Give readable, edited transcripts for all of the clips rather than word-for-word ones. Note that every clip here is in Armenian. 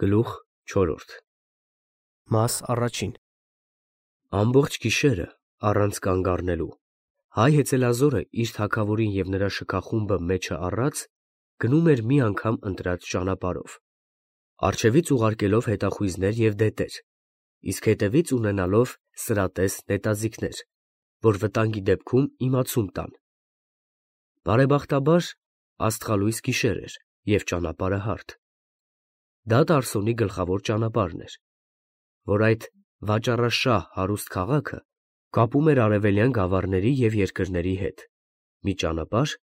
Գլուխ 4 Մաս առաջին Ամբողջ գիշերը առանց կանգ առնելու հայ հեծելազորը իր թագավորին և նրա շքախումբը մեջը առած գնում էր մի անգամ ընտրած ճանապարհով, առջևից ուղարկելով հետախույզներ և դետեր, իսկ հետևից ունենալով սրատես նետաձիգներ, որ վտանգի դեպքում իմացում տան։ Բարեբախտաբար աստղալույս գիշեր էր և ճանապարհը հարթ։ Դա Տարսոնի գլխավոր ճանապարհն էր, որ այդ վաճառաշահ հարուստ քաղաքը կապում էր արևելյան գավառների և երկրների հետ, մի ճանապարհ,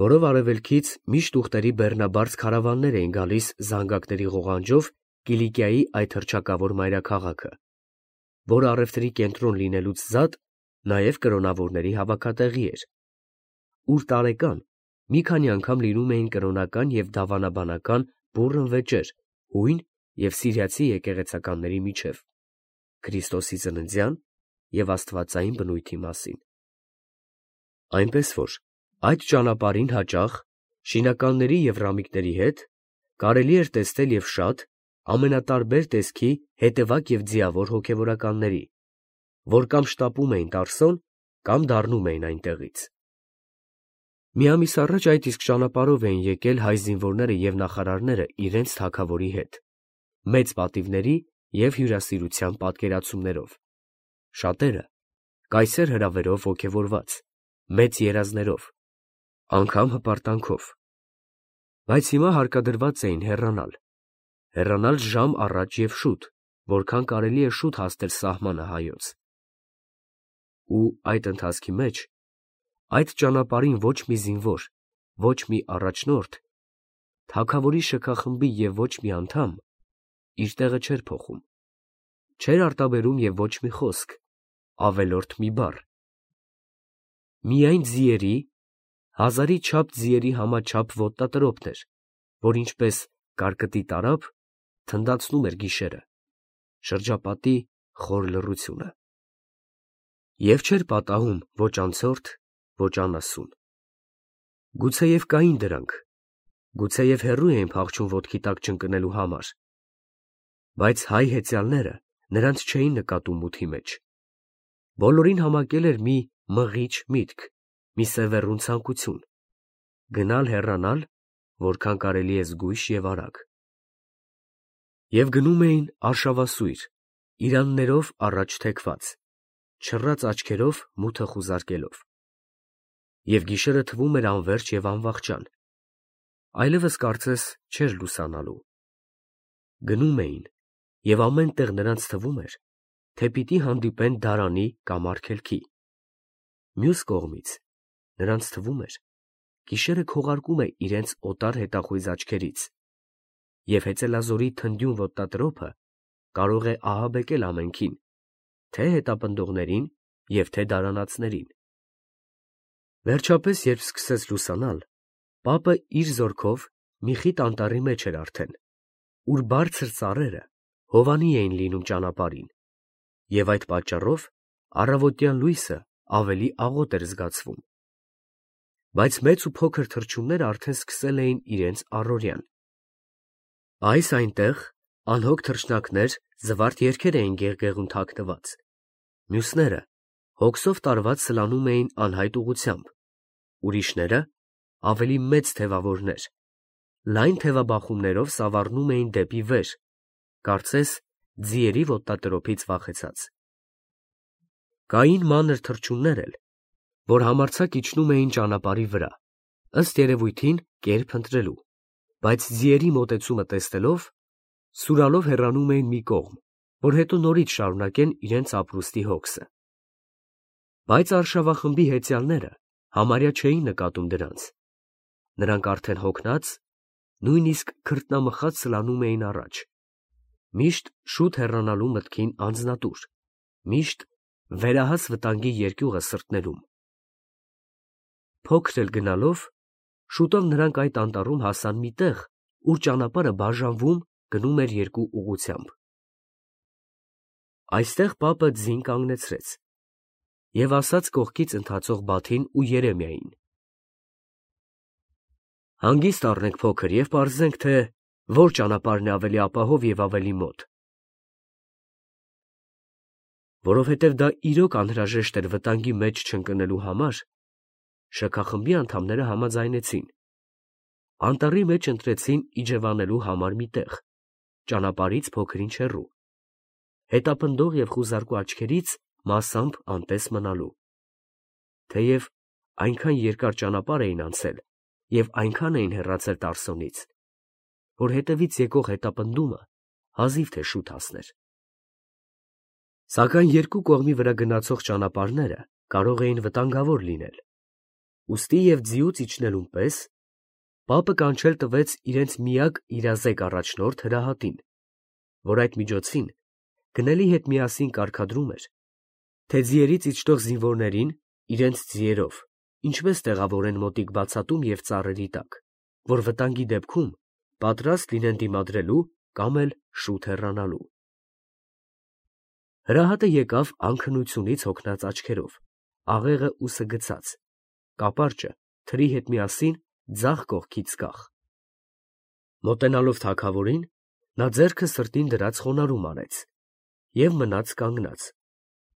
որով արևելքից միշտ ուղտերի բեռնաբարդ քարավաններ էին գալիս զանգակների ղողանջով Կիլիկիայի այդ հռչակավոր մայրաքաղաքը, որը առևտրի կենտրոն լինելուց զատ նաև կրոնավորների հավաքատեղի էր, ուր տարեկան մի քանի անգամ լինում էին կրոնական և դավանաբանական բուռն վեճեր հույն և սիրիացի եկեղեցականների միջև, Քրիստոսի ծննդյան և աստվածային բնույթի մասին։ Այնպես որ այդ ճանապարհին հաճախ շինականների և ռամիկների հետ կարելի էր տեսնել և շատ ամենատարբեր տեսքի հետևակ և ձիավոր հոգևորականների, որ կամ շտապում էին Տարսոն, կամ դառնում էին այնտեղից։ Մի ամիս առաջ այդ իսկ ճանապարհով էին եկել հայ զինվորները և նախարարները իրենց թագավորի հետ, մեծ պատիվների և հյուրասիրության պատկերացումներով, շատերը կայսեր հրավերով ոգևորված, մեծ երազներով, անգամ հպարտանքով, բայց հիմա հարկադրված էին հեռանալ ժամ առաջ և շուտ, որքան կարելի է շուտ հասնել սահմանը հայոց։ Ու այդ ընթացքի մեջ այդ ճանապարհին ոչ մի զինվոր, ոչ մի առաջնորդ, թագավորի շքախմբի և ոչ մի անդամ իր տեղը չէր փոխում, չէր արտաբերում և ոչ մի խոսք, ավելորդ մի բառ։ Միայն ձիերի, հազարի չափ ձիերի համաչափ ոտնատրոպն էր, որ ինչպես կարկտի տարափ թնդացնում էր գիշերը, շրջապատի խոր լռությունը։ Եվ չէր պատահում ոչ անցորդ, ոչ անասուն։ Գուցեև կային դրանք, գուցեև հեռու էին փախչում ոտքի տակ ճընկնելու համար, բայց հայ հեծյալները նրանց չէին նկատում մութի մեջ։ Բոլորին համակել էր մի մղիչ միտք, մի սևեռուն ցանկություն՝ գնալ, որքան կարելի է զգույշ և արագ։ Եվ գնում էին արշավասույր, իրաններով առաջ թեքված, չռած աչքերով մութը խուզարկելով։ Եվ գիշերը թվում էր անվերջ և անվախճան, այլևս կարծես չէր լուսանալու։ Գնում էին, և ամեն տեղ նրանց թվում էր, թե պիտի հանդիպեն դարանի կամ արգելքի։ Մյուս կողմից, նրանց թվում էր, գիշերը քողարկում է իրենց օտար հետախույզ աչքերից, և հեծելազորի թնդյուն ոտնատրոփը կարող է ահաբեկել ամենքին, թե՛ հետապնդողներին և թե՛ դարանածներին։ Վերջապես, երբ սկսեց լուսանալ, պապը իր զորքով մի խիտ անտառի մեջ էր արդեն, ուր բարձր ծառերը հովանի էին լինում ճանապարհին, և այդ պատճառով առավոտյան լույսը ավելի աղոտ էր զգացվում։ Բայց մեծ ու փոքր թռչունները արդեն սկսել էին իրենց առօրյան։ Այս այնտեղ անհոգ թռչնակներ զվարթ երգեր էին գեղգեղում թաքնված, մյուսները հոգսով տարված սլանում էին անհայտ ուղղությամբ, ուրիշները, ավելի մեծ թևավորներ, լայն թևաբախումներով սավառնում էին դեպի վեր, կարծես ձիերի ոտնատրոփից վախեցած։ Կային մանր թռչուններ էլ, որ համարձակ իջնում էին ճանապարհի վրա, ըստ երևույթին կերպ ընտրելու, բայց ձիերի մոտեցումը տեսնելով, սուրալով հեռանում էին մի կողմ, որ հետո նորից շարունակեն իրենց ապրուստի հոգսը։ Բայց արշավախմբի հեծյալները համարյա չէին նկատում դրանց. նրանք արդեն հոգնած, նույնիսկ քրտնամխած սլանում էին առաջ, միշտ շուտ հեռանալու մտքին անձնատուր, միշտ վերահաս վտանգի երկյուղը սրտնելում։ Փոքր էլ գնալով, շուտով նրանք այդ անտառում հասան մի տեղ, ուր ճանապարհը բաժանվում գնում էր երկու ուղղությամբ։ Այստեղ պապը ձին կանգնեցրեց և ասաց կողքից ընթացող Բաթին ու Երեմիային. «Հանգիստ առնենք փոքր և պարզենք, թե Որ ճանապարհն է ավելի ապահով և ավելի մոտ։ Որովհետև դա իրոք անհրաժեշտ էր վտանգի մեջ չընկնելու համար, շքախմբի անդամները համաձայնեցին. անտառի մեջ ընտրեցին իջևանելու համար մի տեղ, ճանապարհից փոքր-ինչ հեռու, հետապնդող և խուզարկու աչքերից մասամբ անտես մնալու։ Թեև այնքան երկար ճանապարհ էին անցել և այնքան էին հեռացել Տարսոնից, որ հետևից եկող հետապնդումը հազիվ թե շուտ հասներ։ Սակայն երկու կողմի վրա գնացող ճանապարհները կարող էին վտանգավոր լինել, ուստի և ձիուց իջնելուն պես պապը կանչել տվեց իրենց միակ իրազեկ առաջնորդ Հրահատին, որ այդ միջոցին գնելի հետ միասին կարգադրում էր, թե ձիերից իջնող զինվորներին իրենց ձիերով ինչպես տեղավորեն մոտիկ բացատում և ծառերի տակ, որ վտանգի դեպքում պատրաստ լինեն դիմադրելու կամ էլ շուտ հեռանալու։ Հրահատը եկավ անքնությունից հոգնած աչքերով, աղեղը ուսը գցած, կապարճը թրի հետ միասին ձախ կողքից կախ։ Մոտենալով թագավորին, նա ձեռքը սրտին դրած խոնարհում արեց և մնաց կանգնած,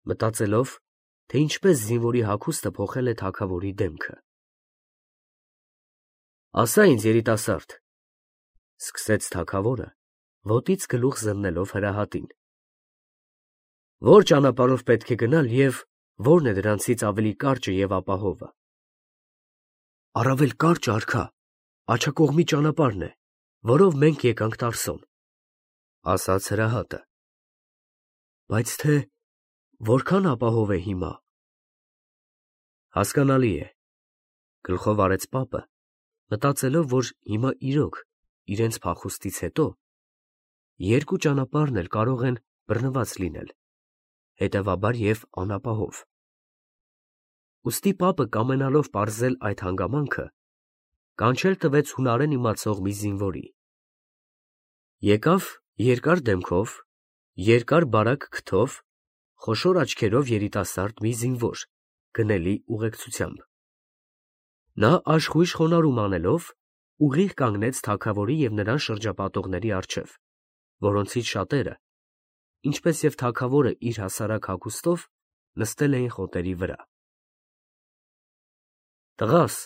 մտածելով, թե ինչպես զինվորի հագուստը փոխել է թագավորի դեմքը։ «Ասա ինձ, երիտասարդ», ֊ սկսեց թագավորը, ոտից գլուխ զննելով Հրահատին, «ո՞ր ճանապարհով պետք է գնալ և ո՞րն է դրանցից ավելի կարճը և ապահովը»։ «Առավել կարճը, արքա, աջակողմի ճանապարհն է, որով մենք եկանք Տարսոն», ֊ ասաց Հրահատը։ «Բայց թե որքան ապահով է հիմա»։ «Հասկանալի է», ֊ գլխով արեց պապը, մտածելով, որ հիմա իրոք իրենց փախուստից հետո երկու ճանապարհն էլ կարող են բռնված լինել, հետևաբար և անապահով։ Ուստի պապը, կամենալով պարզել այդ հանգամանքը, կանչել տվեց հունարեն իմացող մի զինվորի։ Եկավ երկար դեմքով, երկար բարակ քթով, խոշոր աչքերով երիտասարդ մի զինվոր, գնելի ուղեկցությամբ։ Նա աշխույժ խոնարհում անելով, ուղիղ կանգնեց թագավորի և նրան շրջապատողների առջև, որոնցից շատերը, ինչպես և թագավորը իր հասարակ հագուստով, նստել էին խոտերի վրա։ «Տղա՛ս,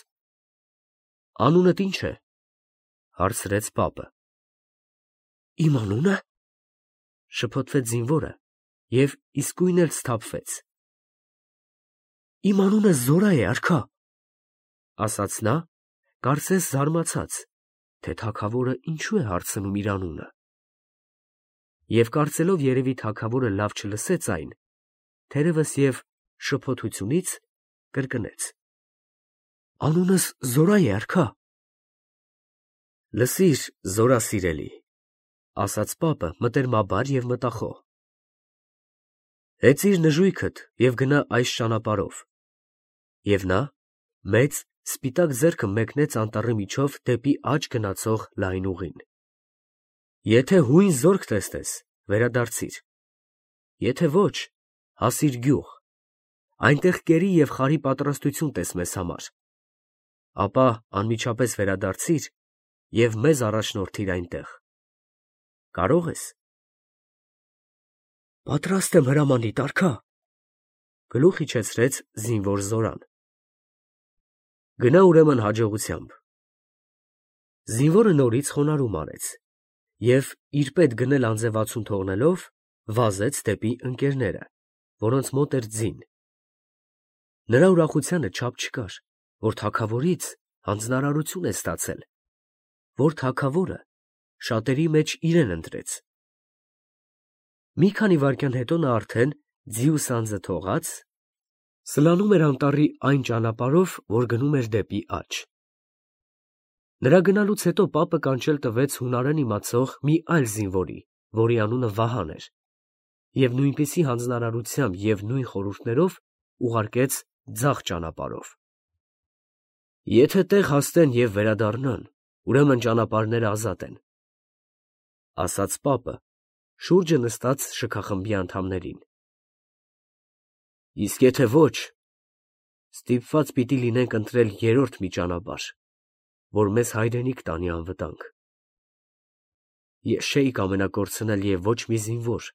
անունդ ի՞նչ է», ֊ հարցրեց պապը։ «Իմ անունը», ֊ շփոթվեց զինվորը և իսկույն էլ սթափվեց։ «Իմ անունը Զորա է, արքա», ֊ ասաց նա, կարծես զարմացած, թե թագավորը ինչու է հարցնում իր անունը։ Եվ կարծելով երևի թագավորը լավ չլսեց այն, թերևս և շփոթությունից կրկնեց. «Անունս Զորա է, արքա»։ «Լսիր, Զորա սիրելի», ֊ ասաց պապը մտերմաբար և մտախոհ. «հեծիր նժույգդ և գնա այս ճանապարհով»։ Եվ նա մեծ սպիտակ ձեռքը մեկնեց անտառի միջով դեպի աջ գնացող լայն ուղին։ «Եթե հույն զորք տեսնես, վերադարձիր, եթե ոչ, հասիր գյուղ, այնտեղ կերի և խարի պատրաստություն տես մեզ համար, ապա անմիջապես վերադարձիր և մեզ առաջնորդիր այնտեղ։ Կարո՞ղ ես»։ «Պատրաստ եմ, հրամանիդ, արքա», ֊ գլուխ իջեցրեց զինվոր Զորան։ «Գնա ուրեմն հաջողությամբ»։ Զինվորը նորից խոնարհում արեց և, իր պետ գնել անձևացում թողնելով, վազեց դեպի ընկերները, որոնց մոտ էր ձին։ Նրա ուրախությանը չափ չկար, որ թագավորից հանձնարարություն է ստացել, որ թագավորը շատերի մեջ իրեն ընտրեց։ Մի քանի վայրկյան հետո նա արդեն, ձի ու սանձը թողած, սլանում էր անտառի այն ճանապարհով, որ գնում էր դեպի աջ։ Նրա գնալուց հետո պապը կանչել տվեց հունարեն իմացող մի այլ զինվորի, որի անունը Վահան էր, և նույնպիսի հանձնարարությամբ և նույն խորհուրդներով ուղարկեց ձախ ճանապարհով։ «Եթե տեղ հասնեն և վերադառնան, ուրեմն ճանապարհները ազատ են», ֊ ասաց պապը շուրջը նստած շքախմբի անդամներին։ «Իսկ եթե ոչ, ստիպված պիտի լինենք ընտրել երրորդ մի ճանապարհ, որ մեզ հայրենիք տանի անվտանգ»։ Ես չէի կամենակորցնել և ոչ մի զինվոր,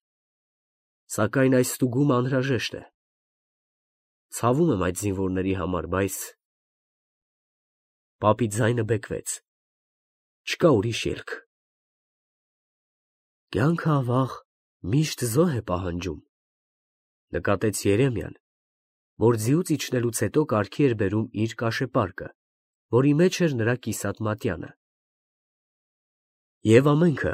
սակայն այս ստուգումը անհրաժեշտ է։ Ցավում եմ այդ զինվորների համար, բայց… Պապի ձայնը բեկվեց։ Չկա ուրիշ ելք։ Կյանքը, ավաղ, միշտ զոհ է պահանջում, նկատեց Երեմիան, որ ձիուց իջնելուց հետո կարգի էր բերում իր կաշեպարկը, որի մեջ էր նրա կիսատ մատյանը։ Եվ ամենքը,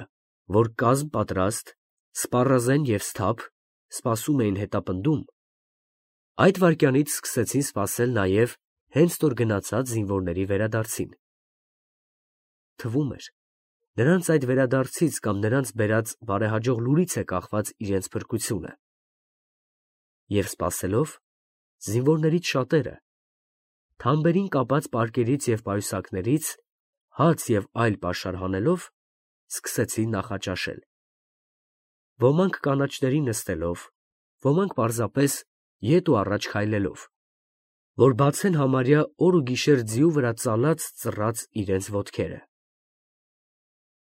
որ կազմ պատրաստ, սպառազեն և սթափ, սպասում էին հետապնդում, այդ վայրկյանից սկսեցին սպասել նաև հենց նոր գնացած զինվորների վերադարձին։ Թվում էր, նրանց այդ վերադարձից կամ նրանց բերած բարեհաջող լուրից է կախված իրենց փրկությունը։ Եվ սպասելով, զինվորներից շատերը, թամբերին կապած պարկերից և պայուսակներից, հաց և այլ պաշար հանելով, սկսեցին նախաճաշել։ Ոմանք կանաչների նստելով, ոմանք պարզապես ետ ու առաջ քայլելով, որ բացեն համարյա օր ու գիշեր ձիու վրա ծալած իրենց ոտքերը։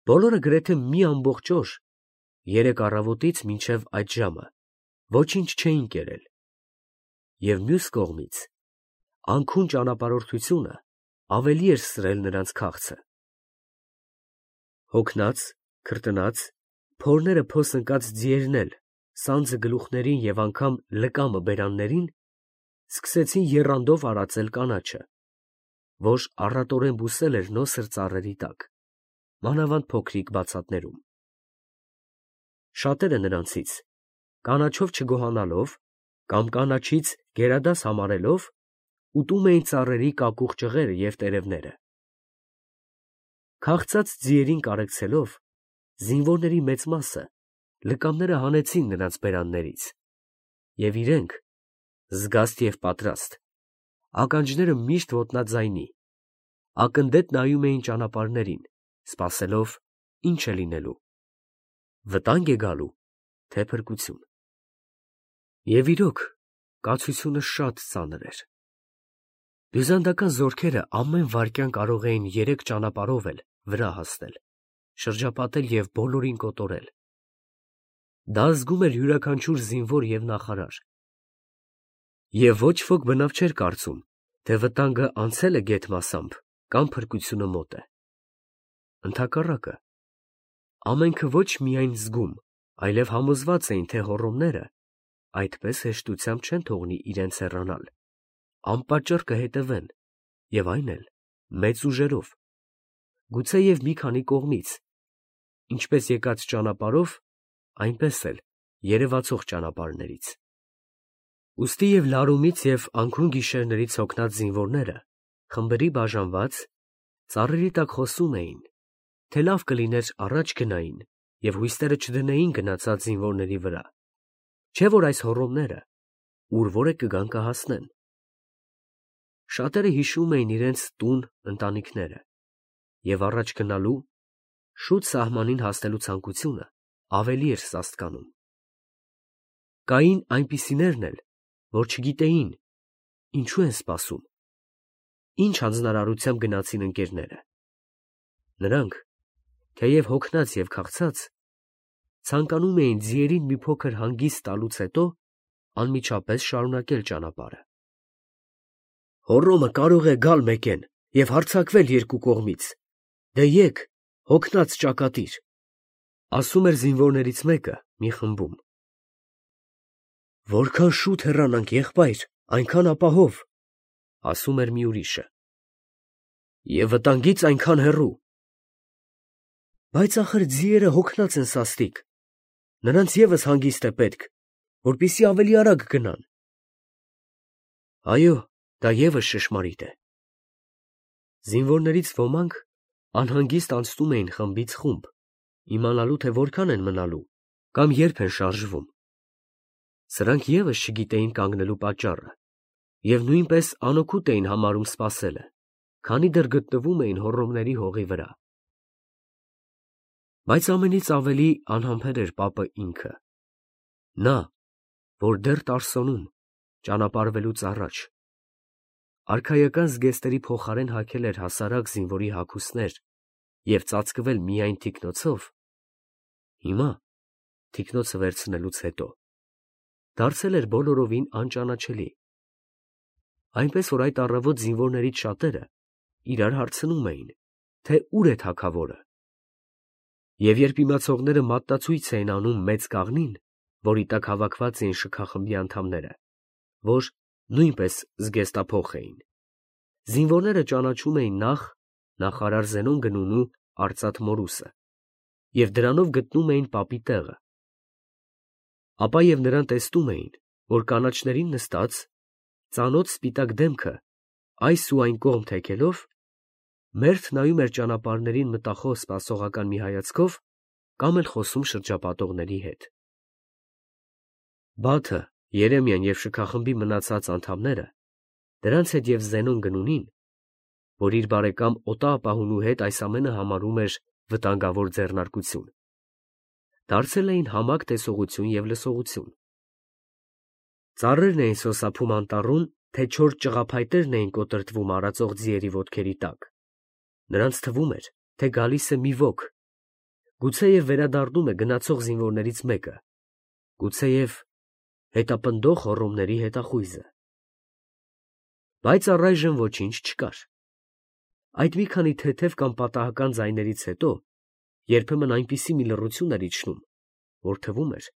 Բոլորը գրեթե մի ամբողջ օր, երեկ առավոտից մինչև այդ ժամը, ոչինչ չէին կերել, և մյուս կողմից, անքուն ճանապարհորդությունը ավելի էր սրել նրանց քաղցը։ Հոգնած, քրտնած, փորները փոս ընկած ձիերն էլ, սանձը գլուխներին և անգամ լկամը բերաններին, սկսեցին եռանդով արածել կանաչը, որ առատորեն բուսել էր նոսր ծառերի տակ, մանավանդ փոքրիկ բացատներում։ Շատերը նրանցից, կանաչով չգոհանալով կամ կանաչից գերադաս համարելով, ուտում էին ծառերի կակուղ ճղերը և տերևները։ Քաղցած ձիերին կարեկցելով, զինվորների մեծ մասը լկամները հանեցին նրանց բերաններից, և իրենք, զգաստ և պատրաստ, ականջները միշտ ոտնաձայնի, ակնդետ նայում էին ճանապարհներին, սպասելով, ինչ է լինելու, վտա՞նգ է գալու, թե փրկություն։ Եվ իրոք, կացությունը շատ ծանր էր։ Բյուզանդական զորքերը ամեն վայրկյան կարող էին 3 ճանապարհով էլ վրա հասնել, շրջապատել և բոլորին կոտորել։ Դա զգում էր յուրաքանչյուր զինվոր և նախարար։ Եվ ոչ ոք բնավ չէր կարծում, թե վտանգը անցել է գեթ կամ փրկությունը մոտ է։ Ընդհակառակը, ամենքը ոչ միայն զգում, այլև համոզված էին, թե հոռոմները այդպես հեշտությամբ չեն թողնի իրենց հեռանալ, անպատճառ կհետևեն, և այն էլ մեծ ուժերով, գուցեև մի քանի կողմից, ինչպես եկած ճանապարհով, այնպես էլ երևացող ճանապարհներից։ Ուստի և լարումից և անքուն գիշերներից հոգնած զինվորները, խմբերի բաժանված, ծառերի տակ խոսում էին, թե լավ կլիներ առաջ գնային և հույսները չդնեին գնացած զինվորների վրա, չէ՞ որ այս հոռոմները ուր որ է կգան կհասնեն։ Շատերը հիշում էին իրենց տուն, ընտանիքները, և առաջ գնալու, շուտ սահմանին հասնելու ցանկությունը ավելի էր սաստկանում։ Կային այնպիսիներն էլ, որ չգիտեին, ինչու են սպասում, ինչ հանձնարարությամբ գնացին ընկերները։ Նրանք, թեև հոգնած և քաղցած, ցանկանում էին ձիերին մի փոքր հանգիստ տալուց հետո անմիջապես շարունակել ճանապարհը։ Հոռոմը կարող է գալ մեկեն և հարձակվել երկու կողմից, դե եկ, հոգնած ճակատիր, ասում էր զինվորներից մեկը մի խմբում։ Որքան շուտ հեռանանք, եղբայր, այնքան ապահով, ասում էր մի ուրիշը։ Եվ վտանգից այնքան հեռու։ Բայց ախր ձիերը հոգնած են սաստիկ, նրանց ևս հանգիստ է պետք, որպեսզի ավելի արագ գնան։ Այո, դա ևս ճշմարիտ է։ Զինվորներից ոմանք անհանգիստ անցնում էին խմբից խումբ, իմանալու, թե որքան են մնալու կամ երբ են շարժվում։ Սրանք ևս չգիտեին կանգնելու պատճառը և նույնպես անօգուտ էին համարում սպասելը, քանի դեռ գտնվում էին հոռոմների հողի վրա։ Բայց ամենից ավելի անհամբեր էր պապը ինքը, նա, որ դեռ Տարսոնում, ճանապարհվելուց առաջ, արքայական զգեստերի փոխարեն հագել էր հասարակ զինվորի հագուստներ և ծածկվել միայն թիկնոցով, Հիմա, թիկնոցը վերցնելուց հետո, դարձել էր բոլորովին անճանաչելի, այնպես որ այդ առավոտ զինվորներից շատերը իրար հարցնում էին, թե ուր է թագավորը, և երբ իմացողները մատնացույց էին անում մեծ կաղնին, որի տակ հավաքված էին շքախմբի անդամները, որ նույնպես զգեստափոխ էին, զինվորները ճանաչում էին նախ նախարար Զենոն Գնունու արծաթ մորուսը և դրանով գտնում էին պապի տեղը, ապա և նրան տեսնում էին, որ կանաչներին նստած, ծանոթ սպիտակ դեմքը այս ու այն կողմ թեքելով, մերթ նայում էր ճանապարհներին մտախոս սպասողական մի հայացքով կամ էլ խոսում շրջապատողների հետ։ Բաթը, Երեմիան և շքախմբի մնացած անդամները, դրանց հետ և Զենոն Գնունին, որ իր բարեկամ Օտարապահունու հետ այս ամենը համարում էր վտանգավոր ձեռնարկություն, դարձել էին համակ տեսողություն և լսողություն։ Ծառերն էին սոսափում անտառում, թե չոր ճղափայտերն էին կոտրտվում արածող ձիերի ոտքերի տակ, նրանց թվում էր, թե գալիս է մի ոք, գուցեև վերադառնում է գնացող զինվորներից մեկը, գուցեև հետապնդող հոռոմների հետախույզը։ Բայց առայժմ ոչինչ չկար։ Այդ մի քանի թեթև կամ պատահական ձայներից հետո երբեմն այնպիսի մի լռություն էր իջնում, որ թվում էր,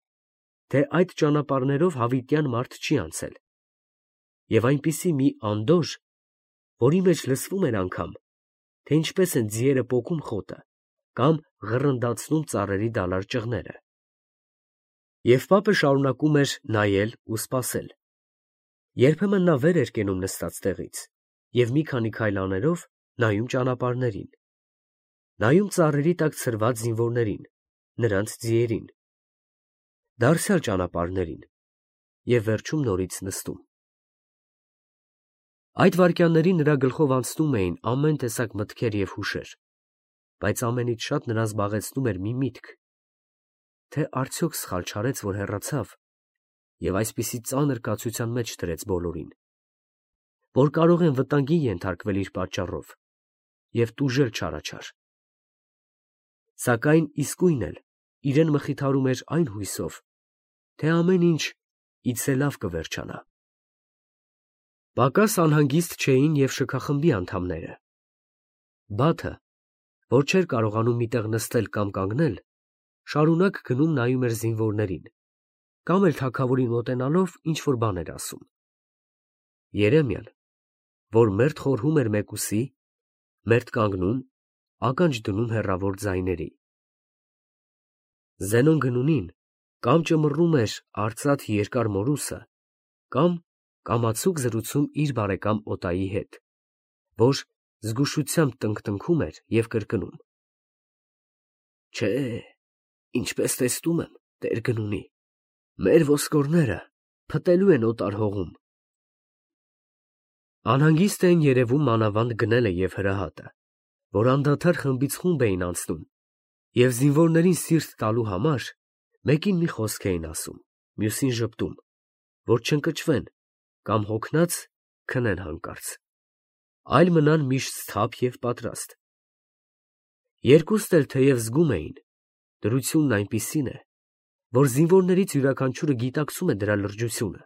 թե այդ ճանապարհներով հավիտյան մարդ չի անցել, և այնպիսի մի անդորր, որի մեջ լսվում էր անգամ, թե ինչպես են ձիերը պոկում խոտը կամ ղռնդացնում ծառերի դալար ճղները։ Եվ պապը շարունակում էր նայել ու սպասել։ Երբեմն նա վեր էր կենում նստած տեղից և մի քանի քայլ անելով նայում ճանապարհներին, նայում ծառերի տակ ցրված զինվորներին, նրանց ձիերին, դարձյալ ճանապարհներին և վերջում նորից նստում։ Այդ վայրկյաններին նրա գլխով անցնում էին ամեն տեսակ մտքեր և հուշեր, բայց ամենից շատ նրան զբաղեցնում էր մի միտք, թե արդյոք սխալ չարեց, որ հեռացավ և այսպիսի ծանր կացության մեջ դրեց բոլորին, որ կարող են վտանգի ենթարկվել իր պատճառով և տուժել չարաչար։ Սակայն իսկույն էլ իրեն մխիթարում էր այն հույսով, թե ամեն ինչ իցե լավ կվերջանա։ Պակաս անհանգիստ չէին և շքախմբի անդամները։ Բաթը, որ չէր կարողանում մի տեղ նստել կամ կանգնել, շարունակ գնում նայում էր զինվորներին, կամ էլ թագավորին մոտենալով ինչ-որ բան էր ասում։ Երեմիան, որ մերթ խորհում էր մեկուսի, մերթ կանգնում, ականջ դնում հեռավոր ձայների։ Զենոն Գնունին կամ ճմռում էր արծաթ երկար մորուսը, կամ կամացուկ զրուցում իր բարեկամ Օտայի հետ, որ զգուշությամբ տնկտնքում էր և կրկնում. Չէ, ինչպես տեսնում եմ, Տեր Գնունի, մեր ոսկորները փտելու են օտար հողում։ Անհանգիստ էին երևում մանավանդ գնելը և հրահատը, որ անդադար խմբից խումբ էին անցնում և զինվորներին սիրտ տալու համար մեկին մի խոսք էին ասում, մյուսին ժպտում, որ չընկճվեն կամ հոգնած քնեն հանկարծ, այլ մնան միշտ սթափ և պատրաստ։ Երկուստ էլ թեև զգում էին, դրությունն այնպիսին է, որ զինվորներից յուրաքանչյուրը գիտակցում է դրա լրջությունը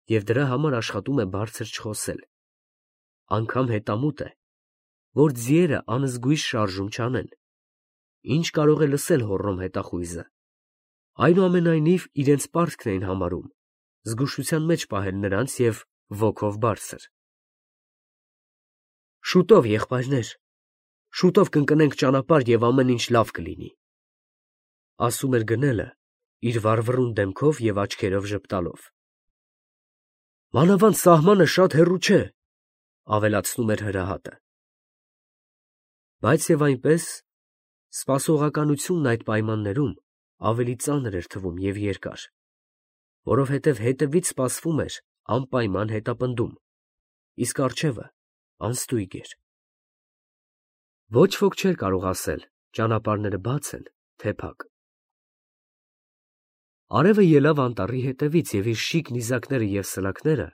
և դրա համար աշխատում է բարձր չխոսել, անգամ հետամուտ է, որ ձիերը անզգույշ շարժում չանեն, ինչ կարող է լսել հոռոմ հետախույզը, այնուամենայնիվ իրենց պարտքն էին համարում զգուշության մեջ պահել նրանց և ոգով բարձր։ Շուտով, եղբայրներ, շուտով կընկնենք ճանապարհ և ամեն ինչ լավ կլինի, ասում էր գնելը իր վառվռուն դեմքով և աչքերով ժպտալով։ Մանավանդ սահմանը շատ հեռու չէ, ավելացնում էր հրահատը։ Բայց և այնպես, սպասողականությունն այդ պայմաններում ավելի ծանր էր թվում և երկար, որովհետև հետևից սպասվում էր անպայման հետապնդում, իսկ առջևը անստույգ էր։ Ոչ ոք չէր կարող ասել ճանապարհները բաց են, թե փակ։ Արևը ելավ անտառի հետևից և իր շիկ նիզակները և սլաքները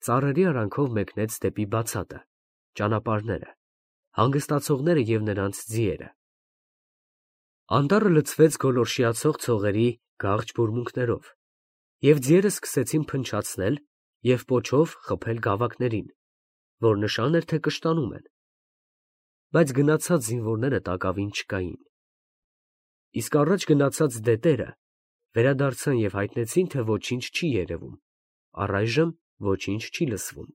ծառերի արանքով մեկնեց դեպի բացատը, ճանապարհները, հանգստացողները և նրանց ձիերը։ Անտառը լցվեց գոլորշիացող ցողերի գաղջ բուրմունքներով, և ձիերը սկսեցին փնչացնել և պոչով խփել գավակներին, որ նշան էր, թե կշտանում են, բայց գնացած զինվորները տակավին չկային. իսկ առաջ գնացած դետերը վերադարձան և հայտնեցին, թե ոչինչ չի երևում, առայժմ ոչինչ չի լսվում։